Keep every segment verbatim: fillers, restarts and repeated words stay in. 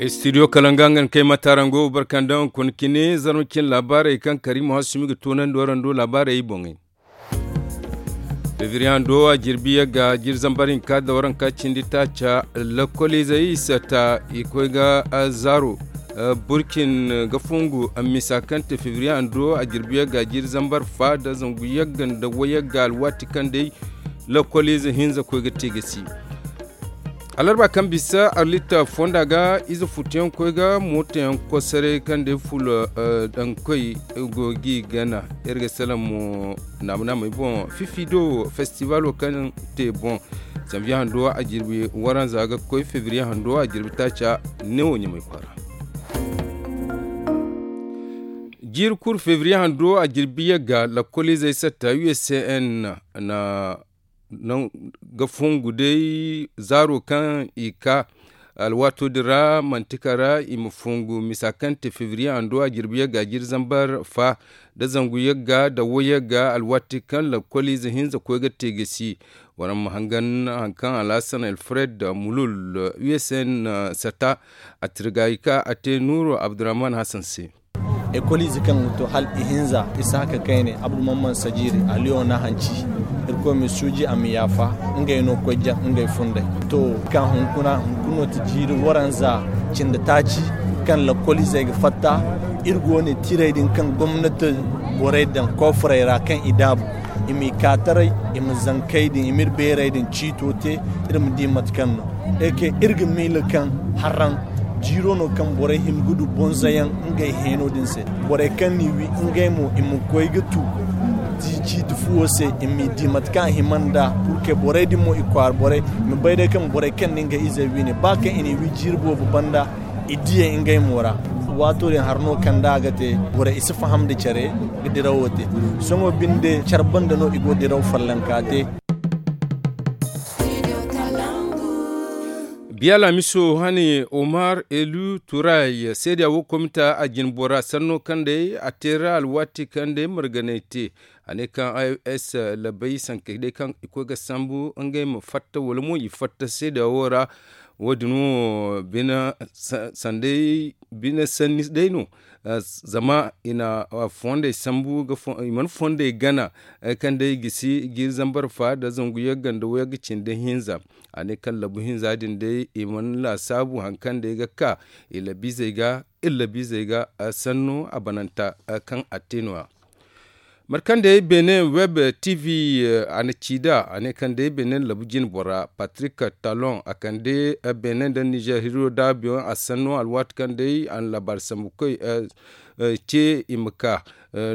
Studio kalanga nga na kay matarango barkandaŋ kuna cine zarma cine laabaarey kaŋ karimu hasumi ga toonandi warando laabaarey boŋey. Febriyaŋ do a jirbi yagga jiri zambar hinka da waranka cindi taaca. Lakkoliizey sata i koy ga zaaro burcin ga fungu misa kaŋ te febriyaŋ do a jirbi yagga jiri zambar fa da zangu yagga nda wayagga alwaati kaŋ day lakkoliize hinza koy ga te ga si. Alarba kaŋ bisa arlita fonda ga ize futuyaŋ koy ga mootoyaŋ kosaray kaŋ day fulo daŋ koy go g'i gana. Iri ga salaŋ mo naama naamey boŋ fifi do festibalo kaŋ te boŋ. Zanviye hando a jirbi waranza ga koy febriye hando a jirbi taaca neewo ɲamay kwaara. Jiiri kulu febriye hando a jirbi yagga lakkoliizey satta uscn na ga fongu day zaaro kaŋ i ka alwaato din ra manti kara i ma fongu misa kaŋ te febriye hando a jirbi yagga jiri zambar fa da zangu yagga da wo yagga alwaati kaŋ lakkoliize hinza koy ga te ga si. Waraŋ ma hangan haŋ kaŋ alhasan alfred mulul uscn sata a tirga i ka a te nuuru abdurrahman hasan se. Ekoliize kaŋ ga to hala ihinza isa haka kayne abdu mamman sajiiri aliyo na hanci. Irkoy ma suuji a ma yaafa ngey no koy jaŋ ngey funday. To ka hunkuna hunkuno ti jiiri waranza cindi taaci kaŋ lakkoliizey ga fatta. Iri go ne tiray din kaŋ gomnati borey daŋ koofurey ra kaŋ i daabu i m'i kaataray i ma zankey din i m'iri beerey din ciito te. Iri ma di mate kaŋ no iri ga miila kaŋ harraŋ jiiro no kaŋ borey hima ga du bonzoyaŋ ngey heeno din se. Borey kaŋ n'i wi ngey mo i ma koy ga tu ciiti fuwo se i m'i di mate kaŋ a hima nd'a. Purke borey din mo i kwaara borey i ma bay day kaŋ borey kaŋ na ngey izey wi ne ba kaŋ i n'i wi jiiri boobo banda i diyey ngey mo ra. Waato din hari no kaŋ da a ga te borey i si faham nda care ga dirawo te. Sohõ binde care banda no i go diraw follanka te. Biya laamiso hane omar elu turay seeda wo komita a jine bora sanno kaŋ day a teera alwaati kaŋ day marganay te. A ne kaŋ i o s labay sanke day kaŋ i koy ga sambu ngey ma fatta wala mo i fatta seeda wo ra. Wo- din wo bine sanday bine sanni day no. Zama i na fondey sambu i mana fondey gana kaŋ day gisi jiiri zambar fa nda zangu yagga nda wayagga cindi hinza. A ne kaŋ labu hinza din day i mana laasaabu hari kaŋ day ga ka i labiizey ga iri labiizey ga sanno a bananta kaŋ a te no- ya. Mate kaŋ day benin web tv a na ci nd'a a ne kaŋ day benin labu jine bora patrik talon a kande benin nda nizer hiro daabiyaŋ a sanno alwaati kaŋ day a na laabaari sambu koy ce i ma ka.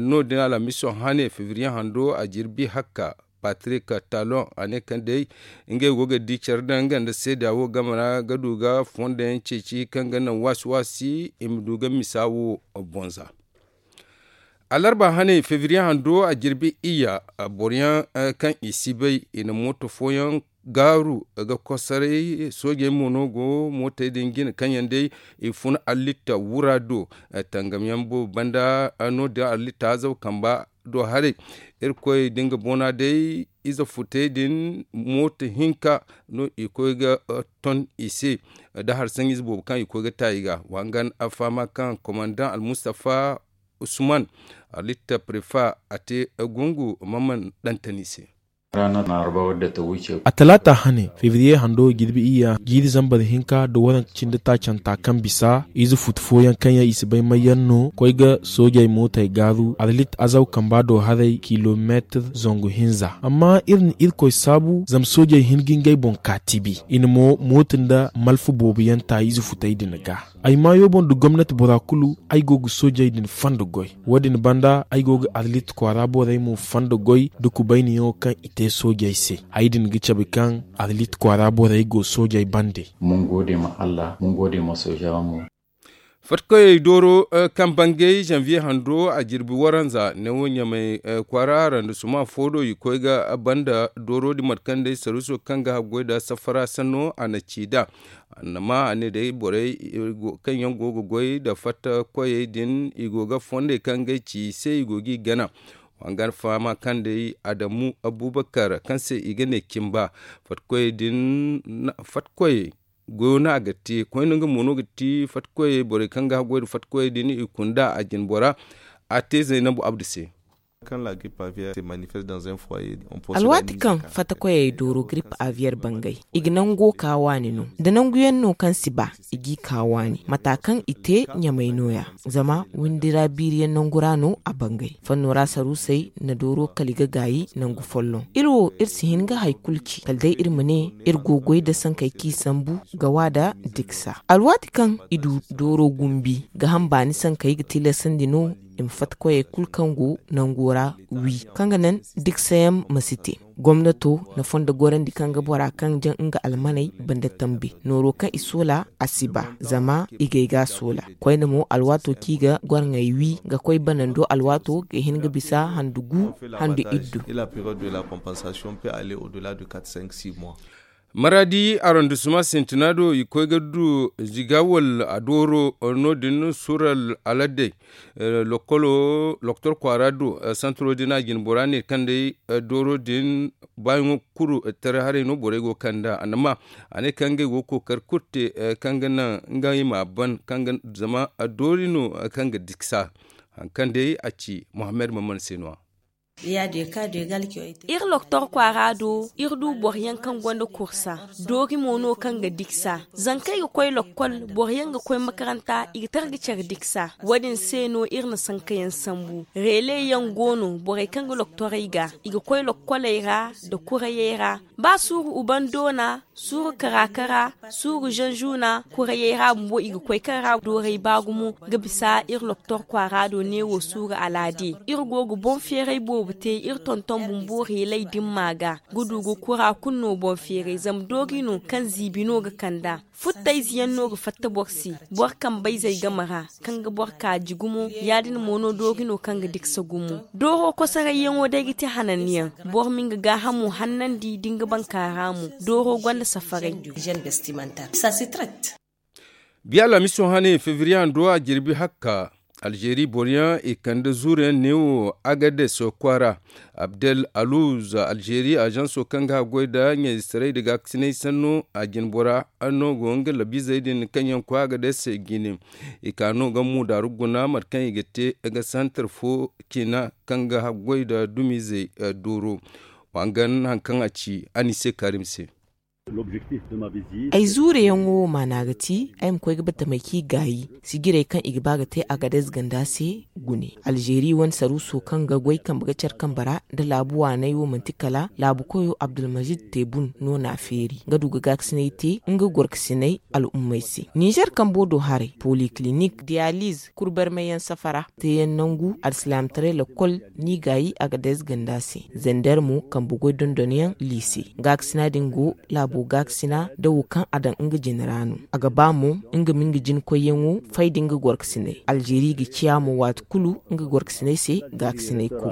No- din alhamiso hane febriye hando a jirbi hakka patrik talon a ne kaŋ day ngey go ga di care daŋ nga nda seeda wo game ra ga du ga fondo yaŋ ceeci kaŋ ga naŋ waasi waasi i ma du ga misa wo bonza. Alarba hane febriye hando a jirbi iyya boro yaŋ kaŋ i si bay i na mooto fooyaŋ gaaru ga kosoray soojey mo no go mootey din jine kaŋ yaŋ day i fun allitta wura do. Tangam yaŋ boobo banda no- din allitta azaw kamba do haray. Irkoy da nga boona day ize futey din mooto hinka no i koy ga ton i se da hari sanjiize boobo kaŋ i koy ga ta i ga wa hangan a fahama kaŋ komandaŋ almustafa usman alitta prefa a te gungu mamman dantani se. A talaata hane febriye hando jirbi iyya jiiri zambar hinka nda waranka cindi taacanta kaŋ bisa ize futu fooyaŋ kaŋ yaŋ i si bay may yaŋ no koy ga soojey mootey gaaru azalit azaw kamba do haray kilomeetir zangu hinza amma iri na irkoy saabu zama soojey hin ga ngey boŋ ka tibi i na mo mooto nda malfa boobo yaŋ ta ize futey din ga. Ay maayo boŋ nda gomnati bora kulu ay go ga soojey din fondo goy. Wo- din banda ay go ga arlit kwaara borey mo fondo goy nda kubayniyaŋo kaŋ i te soojey se. Ay din ga cabe kaŋ arlit kwaara borey go soojey bande. Mun gode ma allah mun gode ma soojawa mo. Fatkoyey dooro kaŋ bangay zanviye hando a jirbi waranza neewo ɲamay kwaara randasuma fo do i koy ga banda dooro din mate kaŋ day saruuso kaŋ ga haggoy nda safara sanno a na ci nd'a. Annama a ne day borey kaŋ yaŋ go ga goy nda fatta koyey din i go ga fondey kaŋ ngey ci i se i go g'i gana. Wa nga fahama kaŋ day adamu abubakar kaŋ se i ga ne cimba fatta koyey din fatta koyey goyo no a ga te koyne nga mo no ga ti fatikoyey borey kaŋ ga haggoy nda fatikoyey din i kunda a jinbora a te zaynabu abdu se. Alwaati kaŋ fatakoyey dooro grip aviyeer bangay, i ga nango ka waani no da nanguyaŋ no kaŋ si ba, i g'i ka waani mata kaŋ i te ɲamay nooya. Zama windi ra biiriyaŋ nangu ra no a bangay fanno ra saruusey na dooro kala i ga gaayi nangu folloŋ. Iri wo iri si hin ga hari kulu ci kala day iri ma ne iri go goy nda sankey kaŋ i sambu ga wa nda diksa alwaati kaŋ i du dooro gumbi ga ham baani sankey ga tilasandi no i ma fatta koyey kulu kaŋ go nango ra wi kaŋ ga naŋ diksayaŋ ma si te. Gomnato na fondo gorandi kaŋ ga bora kaŋ jaŋ nga almaney banda tambi nooro kaŋ i soola a si ba zama i gay ga a soola. Koyne mo alwaato kaŋ i ga gorŋey wi ga koy banando alwaato ga hin ga bisa handu gu handu iddu. Maradi arondissement sintina do i koy ga du ziga wala a dooro no- din sural aladey lokolo doktor kwaara do santaro din a jine bora ne kaŋ day dooro din baayaŋo kuru taray haray no borey go ga kand'a a na ma a ne kaŋ ngey go ga kookari kulu te kaŋ ga naŋ ngey ma a ban kaŋ ga zama doori no kaŋ ga diksa. Hari kaŋ day a ci muhammad maman se no- ya iri loktor kwaara do iri du boro yaŋ kaŋ gonda kursa doori mo no kaŋ ga diksa. Zankey ga koy lokkol boro yaŋ ga koy makaranta i ga tara ga care diksa. Wo- din se no iri na sankayaŋ sambu reele yaŋ go no borey kaŋ ga loktorey ga i ga koy lokkoley ra nda kurayey ra ba suuru uban doona suuru kara-kara suuru zanzuna kurayey ra bumbo i ga koy kaŋ ra dooray ba gumo ga bisa iri loktor kwaara do neewo suuru alaade. Iri go ga boŋ feeray boobo te iri tonton bumbo reelay dimma ga ga du ga kura kulu no boŋ feeray zama doori no kaŋ ziibi no ga kand'a. Futtayze yaŋ no ga fatta boro se boro kambayzey game ra kaŋ ga boro kaaji gumo ya- din mo no doori no kaŋ ga diksa gumo. Dooro kosarayyaŋo day ga te hananyaŋ boro ma nga gaahamo hannandi da nga bankaara mo. Dooro gonda safaray. Biya laamiso hane febriye hando a jirbi hakka alzeeri boro yaŋ i kande zuuru yaŋ neewo agades kwaara abdel aluz alzeeri ažanso kaŋ ga haggoy nda ɲayzetaray nda gaakasinay sanno a jine bora no go nga labiizey din kaŋ yaŋ koy agades jine. I ka no ga muudaaru guna mate kaŋ i ga te ga santar fo ciina kaŋ ga haggoy nda dumizey dooro. Wa nga hari kaŋ a ci a ni se kaarim se. Ay zuure yaŋo wo maana ga ti ay ma koy ga batamey kaŋ i gaayi sijirey kaŋ i ga ba ga te agades ganda se. Gune alzeeri wane saruuso kaŋ ga goy kambe ga care kambe ra nda laabu waaney wo manti kala laabu koyo abdulmazid tebun no n'a feeri nga du ga gaakasinay te nga gorkasinay al'ummey se. Nizer kambo do haray polikilinik diyaliz kuru barmayyaŋ safara teeyaŋ nangu alsilaamataray lakkol n'i gaayi agades ganda se. Zander mo kambe goy dondonyaŋ liise gaakasina din go laabo gaakasina nda wo kaŋ a daŋ nga jine ra no. A ga ba mo nga ma nga jina koyyaŋo fay da nga gorkasinay alzeeri ga ciya mo waati kulu nga gorkasinay se gaakasinay kulu.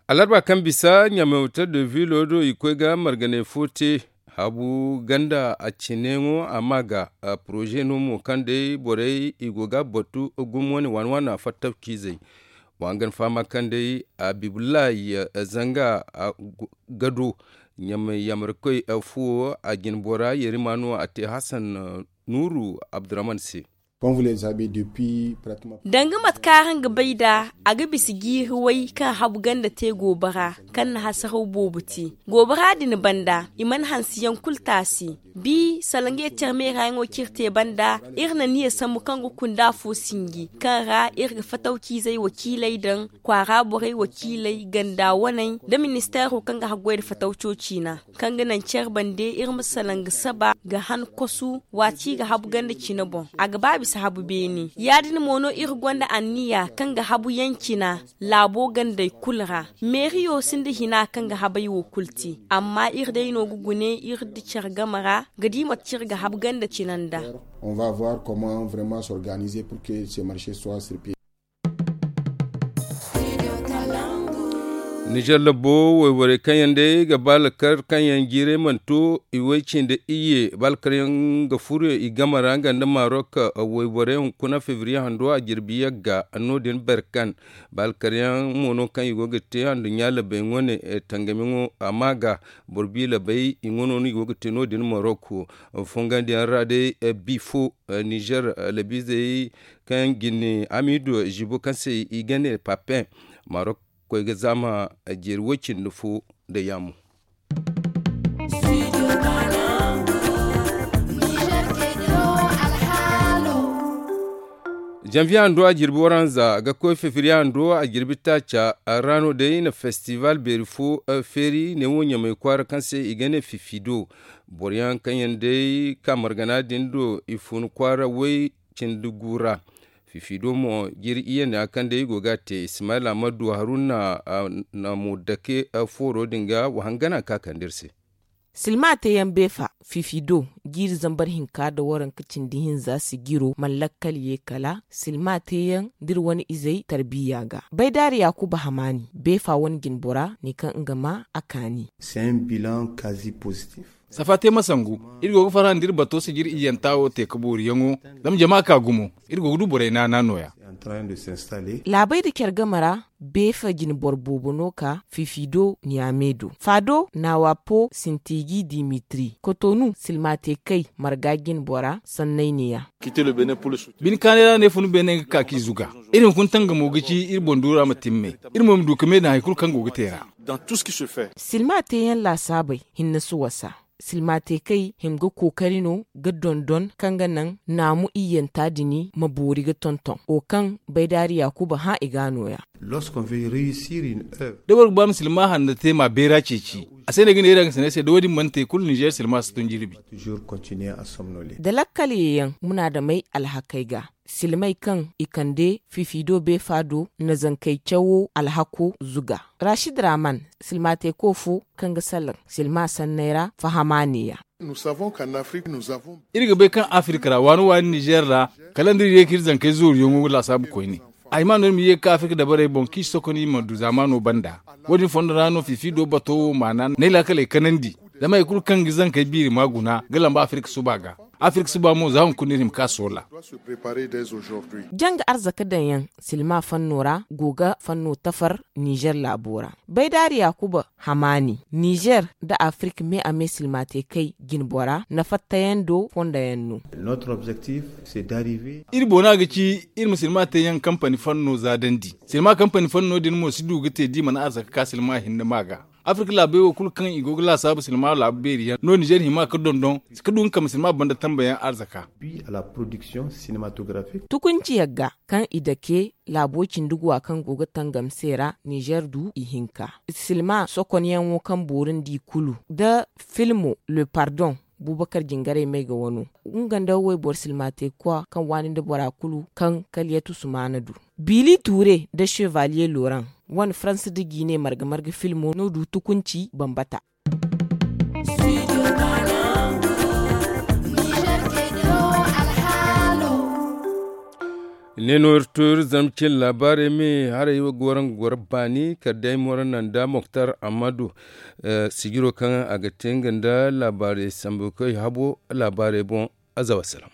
Alarba kaŋ bisa ɲamay hotel de ville do i koy ga marganay fo te habu ganda a cineyaŋo a ma ga poroze no mo kaŋ day borey i go ga batu gumo wane waani waana fattawciizey. Wa nga ni fahama kaŋ day abibullahi zanga gado ɲamay yamarkoy fuwo a jine bora yerima no a te hasan nuuru abdurrahman se. Danga mate kaŋ araŋ ga bay nd'a a ga bisa jiiri way kaŋ habu ganda te goobara kaŋ na hasaraw boobo te. Goobara din banda i mana hansiyaŋ kulu taasi. Bi salaŋ ga yeti care meerayaŋo kaŋ iri te banda iri na niya sambu kaŋ ga kunda afo sinji kaŋ ra iri ga fatawciizey wakiiley daŋ kwaara borey wakiiley ganda waney nda ministeero kaŋ ga haggoy nda fatawco ciina kaŋ ga naŋ care bande iri ma salaŋ ga saba ga han kosu waati ga habu ganda cine boŋ a ga ba bisa habu beene. Ya- din mo no iri gonda anniya kaŋ ga habu yaŋ cina laabo gandey kulu ra. Meeriyo sinda hina kaŋ ga habey wo kulu te amma iri day no ga gune iri nda care game ra ga di mate kaŋ iri ga habu ganda cina nda. On va voir comment vraiment s'organiser pour que ce marché soit sur pied. Nizer labo wayborey kaŋ yaŋ day ga ba lakar kaŋ yaŋ jiiray mana to i way cindi iyye ba lakar yaŋ ga furo i game ra nga nda marok. Wayborey hunkuna febriye hando a jirbi yagga no- din berkan ba lakar yaŋ mo no kaŋ i go ga te handuɲɲa labey wane tangamiyaŋo a ma ga boro bi labey i ŋwa no no i go ga te no- din marok. Fongandi yaŋ ra day bifo nizer labiizey kaŋ jine amidu zibo kaŋ se i ga ne papen marok koy ga zaama jeeri way cindi fo nda yaamu. Janviye hando a jirbi waranza ga koy fefiriye hando a jirbi taaca. Ra no day na festival beeri fo feeri ne wo ɲamay kwaara kaŋ se i ga ne fifido. Boro yaŋ kaŋ yaŋ day ka margana din do i fun kwaara way cindi gu ra. Fifido mo jiri iyye ne a kaŋ day i go ga a te ismaila amadu haruna na mo dake fooro din ga wa hangana ka kande iri se. Silma te yaŋ beefa fifido jiiri zambar hinka nda waranka cindi hinza sijiro mana lakkal ye kala silma te yaŋ nda iri wane izey tarbiya ga. Baydaari yaakuba hamaani beefa wane jinbora ne kaŋ nga ma a kaani. Safa te ma sangu. Iri go ga farhã nda iri bato sijir iyyanta wo te ka booriyaŋo. Zama jama ka gumo. Iri go ga du borey naana nooya. Laabey nda care game ra beefa jine boro boobo no ka fifido niyame do faado naawapo sintiji dimitri kotonu silma te kay marga jine bora sanney neeya. Bine kaanay ra no ay fun beene ga ka k'i zuga. Iri hunkuna tangamo ga ci iri boŋ duura ma timmey. Iri mo ma du ka me daŋ hari kulu kaŋ go ga te ra. Silma teeyaŋ laasaabey hinne si wasa. Silma te kay hima ga kookari no ga dondon kaŋ ga naŋ naamu iyyanta dini ma boori ga tonton wo kaŋ baydaari yaakuba hã i ga nooya. Da boro ga ba ma silma hanna te ma a beera ceeci. A se no ay ga ne iri hangasiney se da wo- din mana te kulu ninzeer silma si tun jirbi. Da lakkal yeeyaŋ munaadamey alhakey ga silmey kaŋ i kande fifido beefa do na zankey cawo alhako zuga. Rashid raman silma te ko fo kaŋ ga salaŋ silma sanney ra fahama neeya. Iri ga bay kaŋ afirka ra waani waani ninzeer ra kala nda iri ye ka iri zankey zooriyaŋo laasaabu koyne. A hima no iri ma ye ga ka afirka dabarey boŋ kaŋ i si sokon i ma du zaamaano banda. Wo- din fondo ra no fifido bato wo maana n'ay laakaley kanandi. Zama hari kulu kaŋ ga zankey biiri ma guna ga lamba afirka suba ga. Afirka suba mo za hunkuna no iri hima ka soola. Janga arzaka daŋyaŋ silma fanno ra go ga fanno tafar ninzeer laabo ra. Baydaari yaakuba hamaani ninzeer nda afirka me a me silma te kay jinbora na fattayaŋ do fondayaŋ no. Iri boona ga ci iri ma silma teeyaŋ kampani fanno za dandi. Silma kampani fanno din mo si du ga te da i mana arzaka ka silma hinne ma ga. Afirka laabey wo kulu kaŋ i go ga laasaabu silma laabu beeri yaŋ no ninzeer hima ga dondon ka du nga kambe silma banda tambayaŋ arzaka. Tukunci yagga kaŋ i dake laabo cindi guwa kaŋ go ga tangam se ra ninzeer du ihinka. Silma sokonyaŋo kaŋ boori nda i kulu nda filmo le pardon bubakar jingarey may ga wano nga nda wayboro silma te kwa kaŋ waani nda bora kulu kaŋ kaliyatu sumaana du. Bili tuure nda chevalier loran wane faransa nda jiine marga marga filmo no du tukunci bambata. Ne no iri to iri zama cin laabaarey me haray wo ga wara nga goro baani kala day moro nanda moktar ammadu. Sijiro kaŋ a ga te nga nda laabaarey sambu koy habo laabaarey boŋ. Aza wasalaam.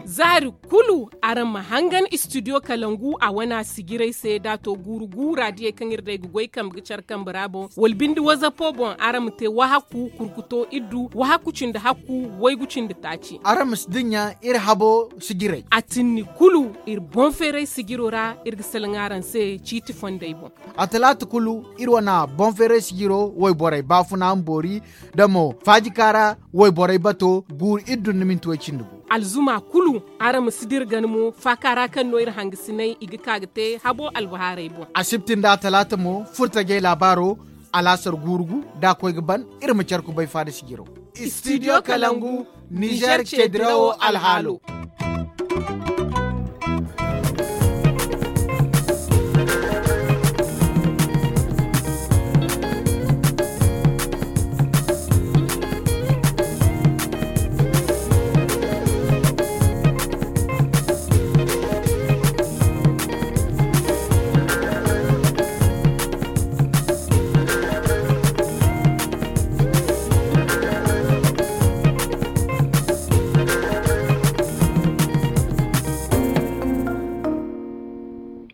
Zaari kulu araŋ ma hangan istidiyo kalangu a wana sijiray se da a to guuru gu raadiyey kaŋ iri day ga goy kambe ga care kambe ra boŋ wala binde wazapo boŋ araŋ ma te wahakku kurkuto iddu wahakku cindi hakku waygu cindi taaci. Araŋ ma si dinya iri habo sijiray. A tinni kulu iri boŋ feeray sijiro ra iri ga salaŋ araŋ se ciiti fondey boŋ. A talaata kulu iri wana boŋ feeray sijiro wayborey baafuna ma boori da mo faajika ra wayborey bato guuru iddu nda minti way cindi gu. Alzuma kulu araŋ ma si dira gana mo faaka ra kaŋ no iri hangasinay i ga ka ga te habo albahaarey boŋ. Asibti nda atalaata mo furtajey laabaaro alaasar guuru gu da a koy ga ban iri ma care kubay faada sijiro. Istidiyo kalangu nizeer ceedirawo alhaalo.